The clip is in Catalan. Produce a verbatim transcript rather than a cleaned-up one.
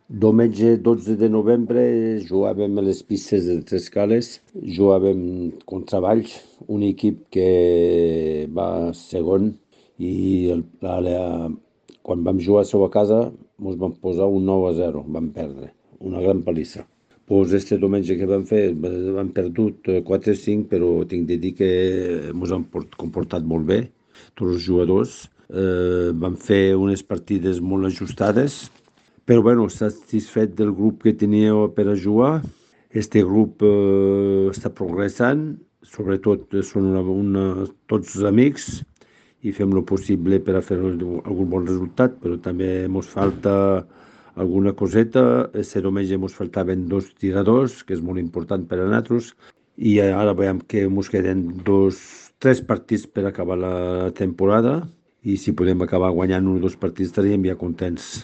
Diumenge dotze de novembre jugàvem a les pistes de Tres Cales, jugàvem contra Valls, un equip que va segon i el, la, la, quan vam jugar a la seva casa ens vam posar un nou a zero, vam perdre, una gran palissa. Pues este diumenge que vam fer, vam perdut quatre a cinc, però tinc de dir que ens hem comportat molt bé, tots els jugadors. Eh, vam fer unes partides molt ajustades, però bueno, satisfet del grup que tenia per a jugar. Este grup eh, està progressant, sobretot són una, una, tots amics i fem el possible per a fer algun bon resultat, però també ens falta alguna coseta. Este diumenge ens faltaven dos tiradors, que és molt important per a nosaltres, i ara veiem que ens queden dos, tres partits per acabar la temporada i si podem acabar guanyant un o dos partits estaríem ja contents.